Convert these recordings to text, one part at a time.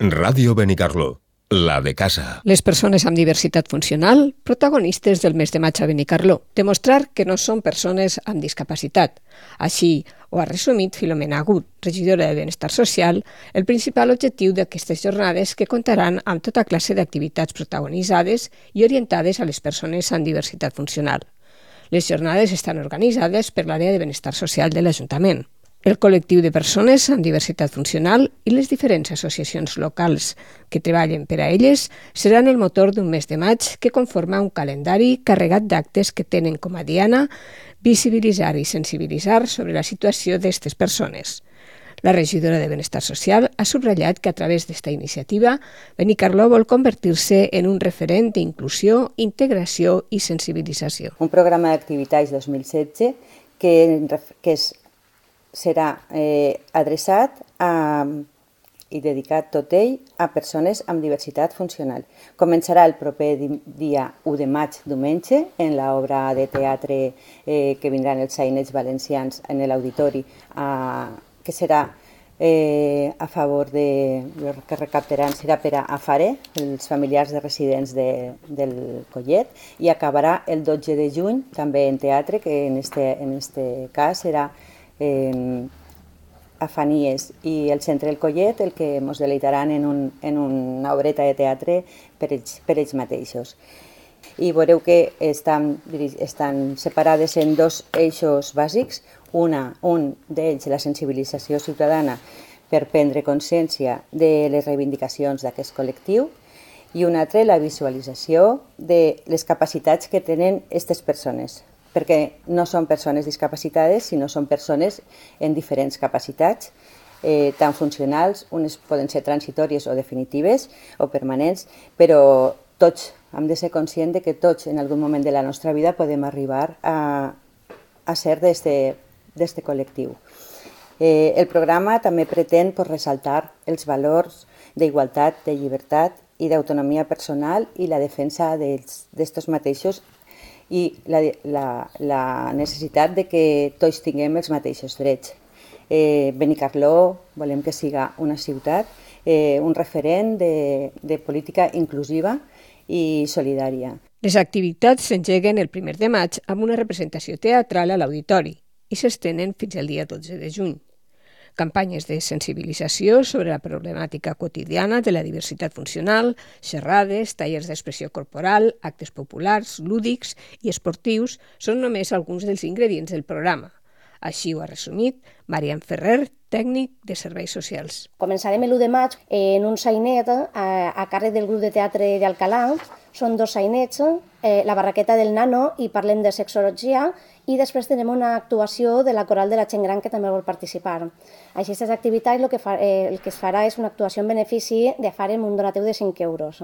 Ràdio Benicarló, la de casa. Les persones amb diversitat funcional, protagonistes del mes de maig a Benicarló, demostrar que no són persones amb discapacitat. Així ho ha resumit Filomena Agut, regidora de Benestar Social, el principal objectiu d'aquestes jornades que comptaran amb tota classe d'activitats protagonitzades i orientades a les persones amb diversitat funcional. Les jornades estan organitzades per l'àrea de Benestar Social de l'Ajuntament. El col·lectiu de persones amb diversitat funcional i les diferents associacions locals que treballen per a elles seran el motor d'un mes de maig que conforma un calendari carregat d'actes que tenen com a diana visibilitzar i sensibilitzar sobre la situació d'aquestes persones. La regidora de Benestar Social ha subratllat que a través d'esta iniciativa Benicarló vol convertir-se en un referent d'inclusió, integració i sensibilització. Un programa d'activitats 2016 que serà adreçat i dedicat tot ell a persones amb diversitat funcional. Començarà el proper dia 1 de maig, diumenge, en l'obra de teatre que vindran els sainets valencians en l'auditori, que serà a favor de... el que recaptaran serà per a AFARE, els familiars de residents del Collet, i acabarà el 12 de juny, també en teatre, que en este cas serà Afanies i el Centre del Collet, el que ens deleitaran en una obreta de teatre per ells mateixos. I veureu que estan separades en dos eixos bàsics. Un d'ells, la sensibilització ciutadana per prendre consciència de les reivindicacions d'aquest col·lectiu, i un altre, la visualització de les capacitats que tenen aquestes persones, perquè no són persones discapacitades, sinó són persones en diferents capacitats, tant funcionals, unes poden ser transitòries o definitives o permanents, però tots hem de ser conscients que tots en algun moment de la nostra vida podem arribar a ser d'este col·lectiu. El programa també pretén ressaltar els valors d'igualtat, de llibertat i d'autonomia personal i la defensa d'estos mateixos i la necessitat de que tots tinguem els mateixos drets. Benicarló volem que siga una ciutat, un referent de política inclusiva i solidària. Les activitats s'engeguen el 1 de maig amb una representació teatral a l'auditori i s'estenen fins al dia 12 de juny. Campanyes de sensibilització sobre la problemàtica quotidiana de la diversitat funcional, xerrades, tallers d'expressió corporal, actes populars, lúdics i esportius són només alguns dels ingredients del programa. Així ho ha resumit Marian Ferrer, tècnic de Serveis Socials. Començarem l'1 de maig en un sainet a càrrec del grup de teatre d'Alcalà. Són dos sainets, la barraqueta del nano i parlem de sexologia, i després tenem una actuació de la coral de la gent gran que també vol participar. Així, aquestes activitats el que es farà és una actuació en benefici de FARE amb un donatiu de 5 euros.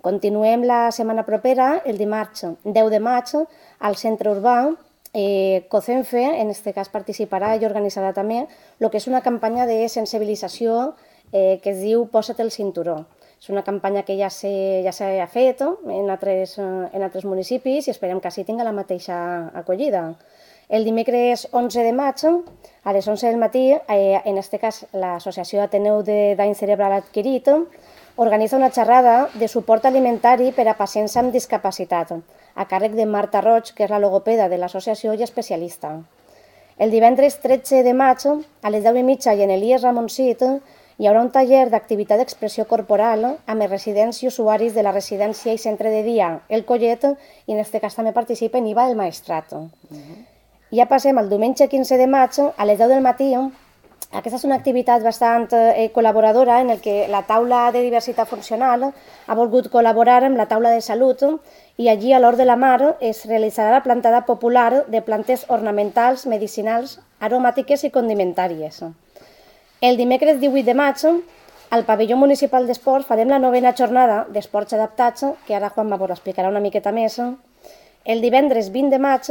Continuem la setmana propera, el dimarts 10 de maig, al centre urbà. COCENFE, en aquest cas, participarà i organitzarà també el que és una campanya de sensibilització que es diu Posa't el cinturó. És una campanya que ja s'ha fet en altres municipis i esperem que així tingui la mateixa acollida. El dimecres 11 de maig, a les 11 del matí, en aquest cas l'Associació Ateneu de Dany Cerebral Adquirit organitza una xerrada de suport alimentari per a pacients amb discapacitat, a càrrec de Marta Roig, que és la logopeda de l'associació i especialista. El divendres 13 de maig, a les 10:30 i en l'IES Ramoncit, hi haurà un taller d'activitat d'expressió corporal amb els residents i usuaris de la residència i centre de dia El Collet, i en aquest cas també participen IVA del Maestrat. Ja passem al diumenge 15 de maig, a les 10 del matí. Aquesta és una activitat bastant col·laboradora en què la taula de diversitat funcional ha volgut col·laborar amb la taula de salut i allí a l'Hort de la Mar es realitzarà la plantada popular de plantes ornamentals, medicinals, aromàtiques i condimentàries. El dimecres 18 de maig, al pavelló municipal d'esports farem la 9ª jornada d'esports adaptats, que ara Juan Mabor explicarà una miqueta més. El divendres 20 de maig,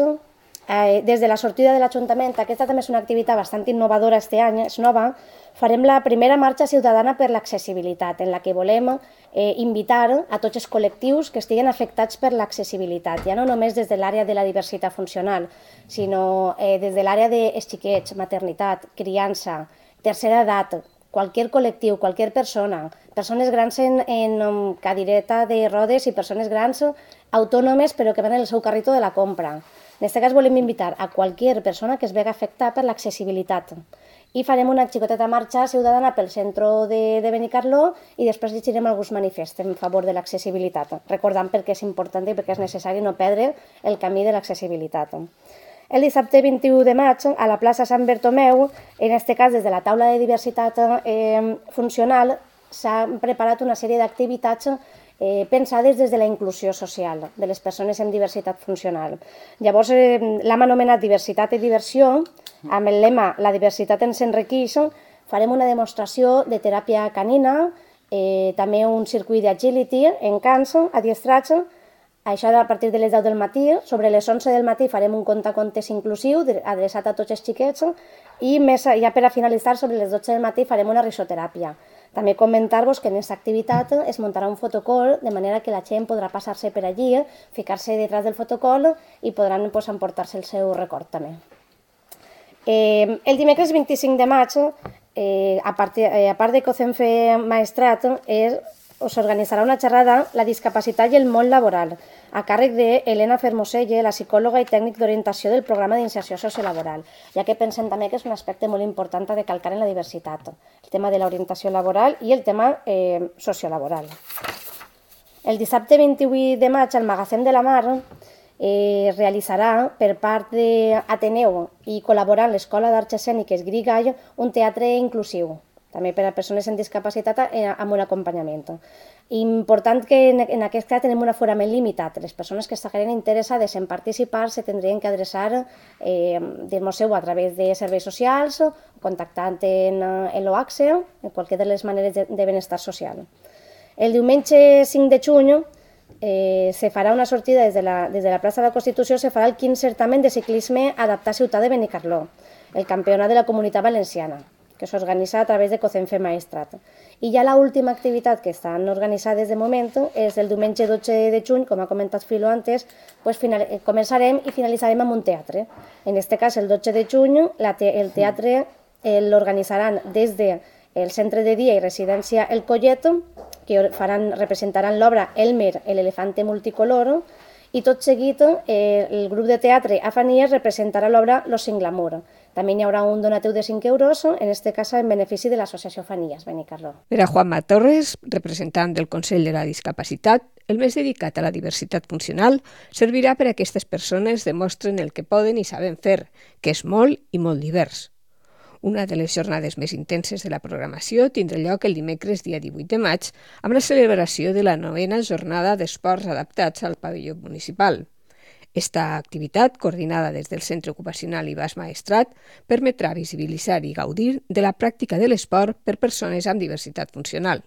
des de la sortida de l'Ajuntament, aquesta també és una activitat bastant innovadora aquest any, és nova, farem la primera marxa ciutadana per l'accessibilitat, en la que volem invitar a tots els col·lectius que estiguen afectats per l'accessibilitat, ja no només des de l'àrea de la diversitat funcional, sinó des de l'àrea dels xiquets, maternitat, criança, tercera edat, qualsevol col·lectiu, qualsevol persona, persones grans en cadireta de rodes i persones grans autònomes però que van en el seu carrito de la compra. En aquest cas volem invitar a qualsevol persona que es vegi afectada per l'accessibilitat. I farem una xicoteta marxa ciutadana pel centre de Benicarló i després llegirem alguns manifests en favor de l'accessibilitat, recordant per què és important i per què és necessari no perdre el camí de l'accessibilitat. El dissabte 21 de maig, a la plaça Sant Bertomeu, en aquest cas des de la taula de diversitat funcional, s'han preparat una sèrie d'activitats pensades des de la inclusió social de les persones amb diversitat funcional. Llavors, l'hem anomenat Diversitat i Diversió, amb el lema La diversitat ens enriqueix. Farem una demostració de teràpia canina, també un circuit d'agility en cans adiestrats. Això a partir de les 10 del matí. Sobre les 11 del matí farem un contacontes inclusiu adreçat a tots els xiquets i ja per a finalitzar, sobre les 12 del matí farem una risoteràpia. També comentar-vos que en aquesta activitat es muntarà un fotocall, de manera que la gent podrà passar-se per allí, ficar-se detrás del fotocall i podran emportar-se el seu record també. El dimecres 25 de maig, a part de COCENFE Maestrat, s'organitzarà una xerrada La discapacitat i el món laboral, a càrrec d'Helena Fermoselle, la psicòloga i tècnic d'orientació del programa d'inserció sociolaboral, ja que pensem també que és un aspecte molt important a recalcar en la diversitat, el tema de l'orientació laboral i el tema sociolaboral. El dissabte 28 de maig, al Magatzem de la Mar, realitzarà per part d'Ateneu i col·laborant l'Escola d'Arts Escèniques Grigall un teatre inclusiu, també per a persones amb discapacitat amb un acompanyament. Important que en aquest cas tenim un aforament limitat. Les persones que estiguin interessades en participar se tindrien que adreçar a través de serveis socials, contactant en l'OACSE, en qualsevol de les maneres de benestar social. El diumenge 5 de juny se farà una sortida des de la plaça de la Constitució, se farà el 15 certamen de ciclisme adaptat a Ciutat de Benicarló, el campionat de la Comunitat Valenciana, que s'organitza a través de COCENFE Maestrat. I ja l'última activitat que estan organitzades de moment és el diumenge 12 de juny, com ha comentat Filo antes, començarem i finalitzarem amb un teatre. En aquest cas, el 12 de juny, el teatre l'organitzaran des del Centre de Dia i Residència El Collet, que representaran l'obra Elmer, l'elefante multicolor, i tot seguit el grup de teatre Afanies representarà l'obra Los sin glamour. També hi haurà un donatiu de 5 euros, en aquest cas en benefici de l'associació Afanies Benicarló. Per a Juanma Torres, representant del Consell de la Discapacitat, el mes dedicat a la diversitat funcional servirà per a aquestes persones demostren el que poden i saben fer, que és molt i molt divers. Una de les jornades més intenses de la programació tindrà lloc el dimecres dia 18 de maig amb la celebració de la 9ª jornada d'esports adaptats al pavelló municipal. Esta activitat, coordinada des del Centre Ocupacional Ibas Maestrat, permetrà visibilitzar i gaudir de la pràctica de l'esport per persones amb diversitat funcional.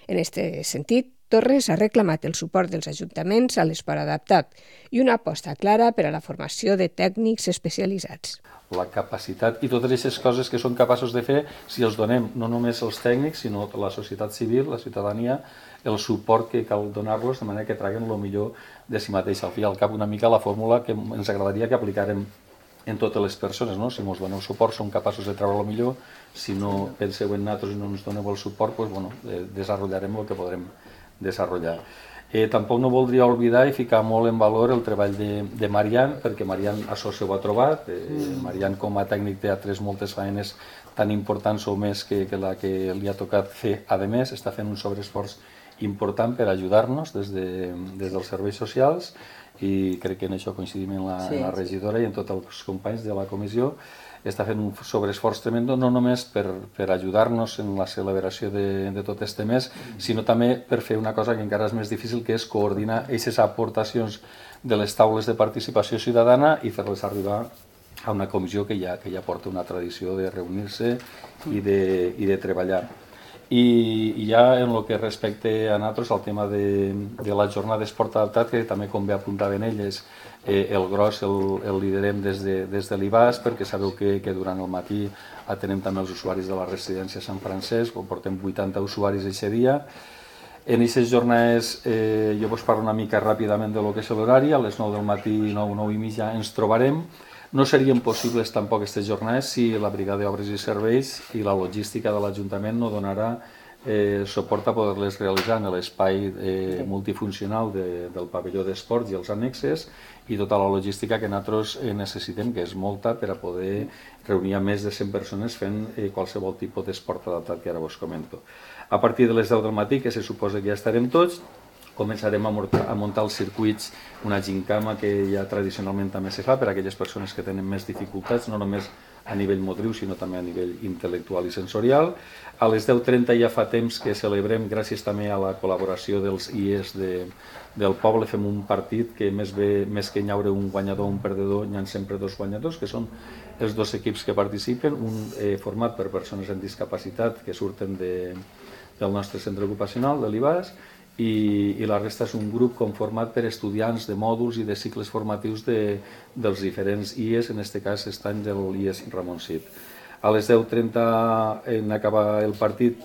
En aquest sentit, Torres ha reclamat el suport dels ajuntaments a l'esport adaptat i una aposta clara per a la formació de tècnics especialitzats. La capacitat i totes aquestes coses que són capaços de fer, si els donem no només els tècnics, sinó la societat civil, la ciutadania, el suport que cal donar-los de manera que traguen el millor de si mateix. Al fi i al cap, una mica la fórmula que ens agradaria que aplicàrem en totes les persones, no? Si ens doneu suport som capaços de treure el millor, si no penseu en nosaltres i no ens doneu el suport, desenvoluparem el que podrem desenvolupar. Tampoc no voldria oblidar i ficar molt en valor el treball de Marian, perquè Marian això s'ho ha trobat. Marian com a tècnic té altres moltes feines tan importants o més que la que li ha tocat fer. A més, està fent un sobreesforç important per ajudar-nos des dels serveis socials i crec que en això coincidim en la regidora i en tots els companys de la comissió. Està fent un sobreesforç tremendo, no només per ajudar-nos en la celebració de tot este mes, sinó també per fer una cosa que encara és més difícil, que és coordinar aquestes aportacions de les taules de participació ciutadana i fer-les arribar a una comissió que ja porta una tradició de reunir-se i de treballar. I ja en el que respecte a nosaltres, el tema de la jornada d'esport adaptat, que també com bé apuntaven elles, el gros el liderem des de l'IBAS, perquè sabeu que durant el matí atenem també els usuaris de la residència Sant Francesc, on portem 80 usuaris aquest dia. En aquestes jornades jo vos parlo una mica ràpidament de lo que és l'horari. A les 9 del matí, 9 i mitja, ens trobarem. No serien possibles tampoc aquestes jornades si la Brigada d'Obres i Serveis i la logística de l'Ajuntament no donarà suport a poder-les realitzar en l'espai multifuncional del pavelló d'esports i els annexes i tota la logística que nosaltres necessitem, que és molta, per a poder reunir a més de 100 persones fent qualsevol tipus d'esport adaptat que ara vos comento. A partir de les 10 del matí, que se suposa que ja estarem tots, començarem a muntar els circuits, una gincama que ja tradicionalment també se fa per a aquelles persones que tenen més dificultats, no només a nivell motriu, sinó també a nivell intel·lectual i sensorial. A les 10:30 ja fa temps que celebrem, gràcies també a la col·laboració dels IES del poble, fem un partit que més que hi haure un guanyador o un perdedor, hi ha sempre dos guanyadors, que són els dos equips que participen, un format per persones amb discapacitat que surten del nostre centre ocupacional, de l'IBAS, i la resta és un grup conformat per estudiants de mòduls i de cicles formatius dels diferents IES, en aquest cas aquest any de l'IES Ramon Cid. A les 10:30, en acabar el partit,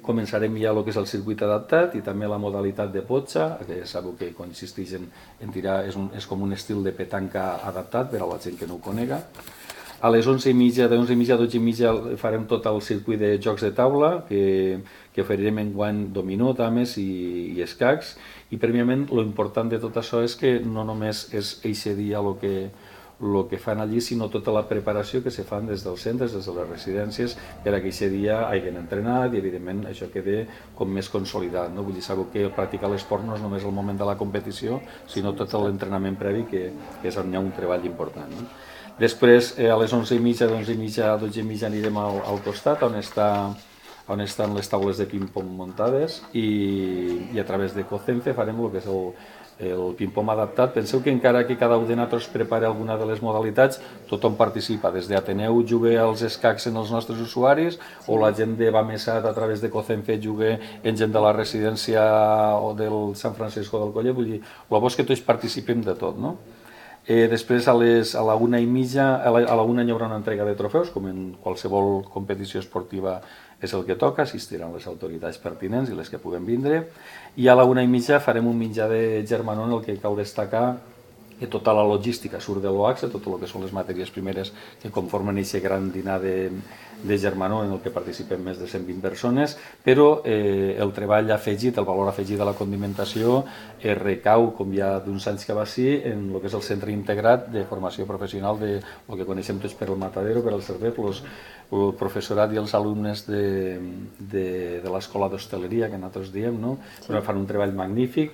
començarem ja el que és el circuit adaptat i també la modalitat de potxa, que sabeu que consisteix en tirar, és com un estil de petanca adaptat per a la gent que no ho conega. A les 11:30, de 11:30 a 12:30 farem tot el circuit de jocs de taula, que oferirem enguany dominó, dames i escacs, i prèviament l'important de tot això és que no només és eixe dia el que fan allí, sinó tota la preparació que se fan des dels centres, des de les residències, per a que aquest dia hagin entrenat i evidentment això quede com més consolidat. No? Vull dir, sabeu que practicar l'esport no és només el moment de la competició, sinó tot l'entrenament previ, que és on hi ha un treball important. No? Després, a les 11:30, de 11:30 a 12:30 anirem al costat, on estan les taules de ping-pong muntades, i a través de COCENFE farem el que és el ping-pong adaptat. Penseu que encara que cada un de nosaltres prepara alguna de les modalitats, tothom participa. Des d'Ateneu juga als escacs en els nostres usuaris, o la gent de Bamesat a través de COCENFE juga en gent de la residència o del Sant Francisco del Collet. Vull dir, el bo és que tots participem de tot, no? Després, a la 1:30, a la 1 hi haurà una entrega de trofeus, com en qualsevol competició esportiva és el que toca, assistiran les autoritats pertinents i les que puguem vindre, i a la 1:30 farem un menjar de germanor en el que cal destacar que tota la logística surt de l'OAXA, tot el que són les matèries primeres que conformen aquest gran dinar de germanor en el que participen més de 120 persones, però el treball afegit, el valor afegit de la condimentació recau, com ja d'uns anys que va ser, en el que és el centre integrat de formació professional de el que coneixem tots per el Matadero, per el CERVEP, el professorat i els alumnes de l'escola d'hostaleria, que nosaltres diem, no? Però fan un treball magnífic.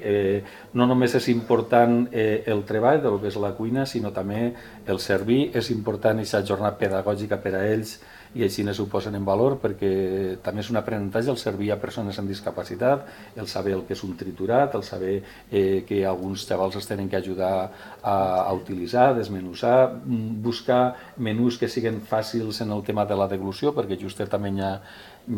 No només és important el treball del que és la cuina, sinó també el servir. És important aquesta jornada pedagògica per a ells, i així ho posen en valor, perquè també és un aprenentatge el servir a persones amb discapacitat, el saber el que és un triturat, el saber que alguns xavals es tenen que ajudar a utilitzar, desmenussar, buscar menús que siguin fàcils en el tema de la deglució, perquè just també hi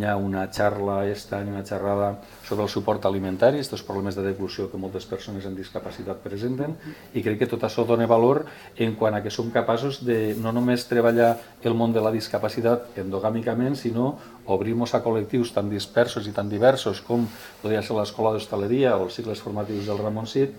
ha una xarra, una xerrada sobre el suport alimentari, aquests problemes de deglució que moltes persones amb discapacitat presenten, i crec que tot això dona valor en quant a que som capaços de no només treballar el món de la discapacitat endogàmicament, sinó obrir-nos a col·lectius tan dispersos i tan diversos com podria ser l'escola d'hostaleria o els cicles formatius del Ramon Cid,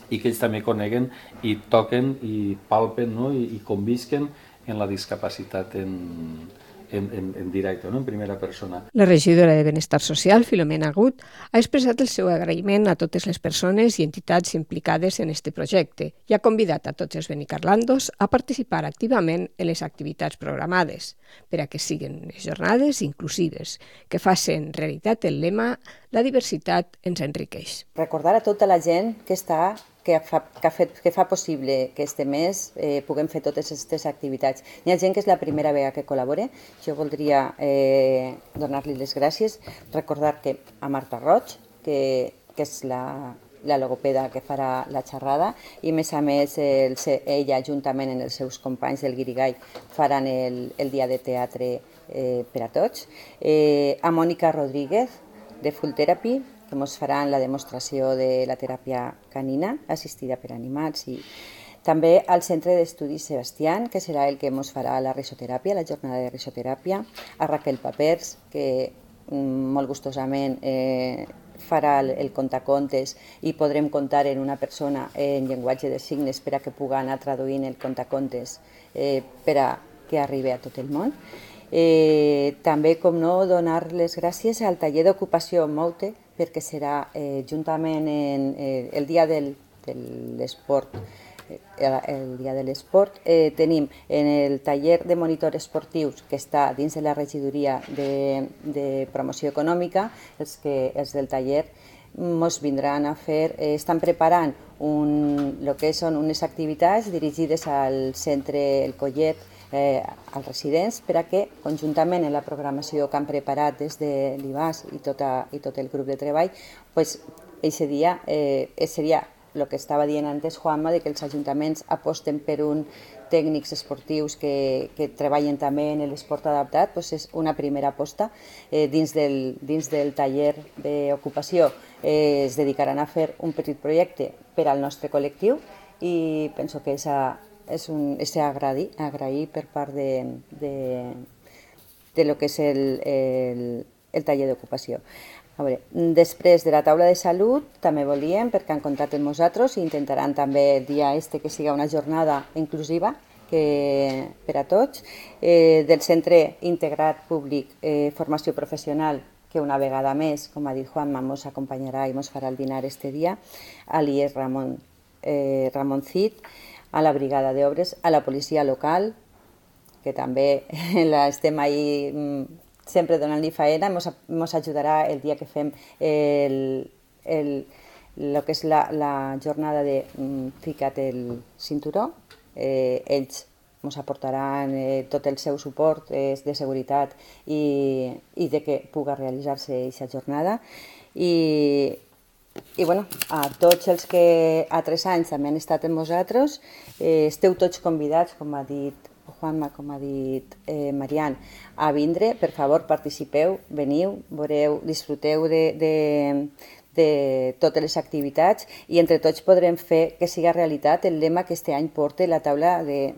i que ells també coneguen i toquen i palpen, no? I convisquen en la discapacitat en directe, no? En primera persona. La regidora de Benestar Social, Filomena Agut, ha expressat el seu agraïment a totes les persones i entitats implicades en aquest projecte i ha convidat a tots els benicarlandos a participar activament en les activitats programades per a que siguin jornades inclusives, que facin realitat el lema «La diversitat ens enriqueix». Recordar a tota la gent que fa possible que este mes puguem fer totes aquestes activitats. Hi ha gent que és la primera vegada que col·labora. Jo voldria donar-li les gràcies, recordar que a Marta Roig, que és la logopeda que farà la xerrada, i a més ella juntament amb els seus companys del Guirigall faran el dia de teatre per a tots. A Mònica Rodríguez de Full Therapy, que ens faran la demostració de la teràpia canina assistida per animals, i també al Centre d'Estudis Sebastián, que serà el que ens farà la risoteràpia, la jornada de risoteràpia, a Raquel Papers, que molt gustosament farà el contacontes i podrem comptar en una persona en llenguatge de signes per a que pugui anar traduint el contacontes per a que arribi a tot el món. També, com no, donar les gràcies al taller d'ocupació Moute, perquè serà juntament el dia de l'esport. El dia de l'esport tenim en el taller de monitors esportius que està dins de la regidoria de promoció econòmica, els del taller ens vindran a fer, estan preparant el que són unes activitats dirigides al centre El Collet, als residents, per a que conjuntament en la programació que han preparat des de l'IBAS i tot el grup de treball, aquest dia seria el que estava dient antes Juanma, que els ajuntaments aposten per uns tècnics esportius que treballen també en l'esport adaptat, és una primera aposta. Dins del taller d'ocupació es dedicaran a fer un petit projecte per al nostre col·lectiu i penso que és agrair per part de lo que és el taller d'ocupació. Després de la taula de salut també volíem, perquè han comptat amb nosaltres i intentaran també el dia que siga una jornada inclusiva per a tots, del Centre Integrat Públic Formació Professional, que una vegada més, com ha dit Juanma, ens acompanyarà i ens farà el dinar este dia, a l'IES Ramon Cid, a la Brigada d'Obres, a la policia local, que també estem ahí sempre donant-li faena, ens ajudarà el dia que fem el que és la jornada de Fica't el cinturó. Ells ens aportaran tot el seu suport de seguretat i de que pugui realitzar-se aquesta jornada. I a tots els que a 3 anys també han estat amb vosaltres, esteu tots convidats, com ha dit Juanma, com ha dit Marian, a vindre. Per favor, participeu, veniu, veureu, disfruteu de totes les activitats i entre tots podrem fer que siga realitat el lema que este any porta la taula de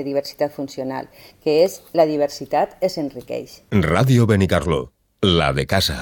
diversitat funcional, que és la diversitat es enriqueix. Ràdio Benicarló, la de casa.